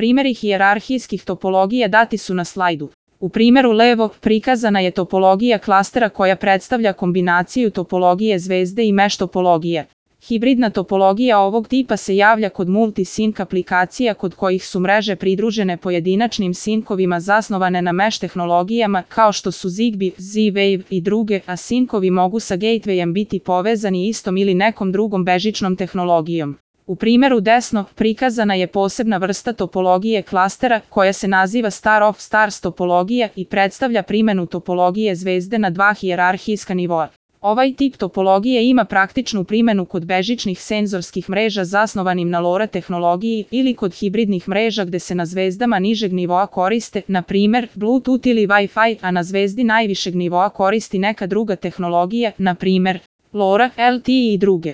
Primeri hijerarhijskih topologija dati su na slajdu. U primjeru levo prikazana je topologija klastera koja predstavlja kombinaciju topologije zvezde i mesh topologije. Hibridna topologija ovog tipa se javlja kod multi-sync aplikacija kod kojih su mreže pridružene pojedinačnim sinkovima zasnovane na mesh tehnologijama kao što su Zigbee, Z-Wave i druge, a sinkovi mogu sa gatewayem biti povezani istom ili nekom drugom bežičnom tehnologijom. U primjeru desno prikazana je posebna vrsta topologije klastera koja se naziva star of stars topologija i predstavlja primjenu topologije zvezde na dva hijerarhijska nivoa. Ovaj tip topologije ima praktičnu primjenu kod bežičnih senzorskih mreža zasnovanim na LoRa tehnologiji ili kod hibridnih mreža gde se na zvezdama nižeg nivoa koriste, na primjer, Bluetooth ili Wi-Fi, a na zvezdi najvišeg nivoa koristi neka druga tehnologija, na primjer, LoRa, LTE i druge.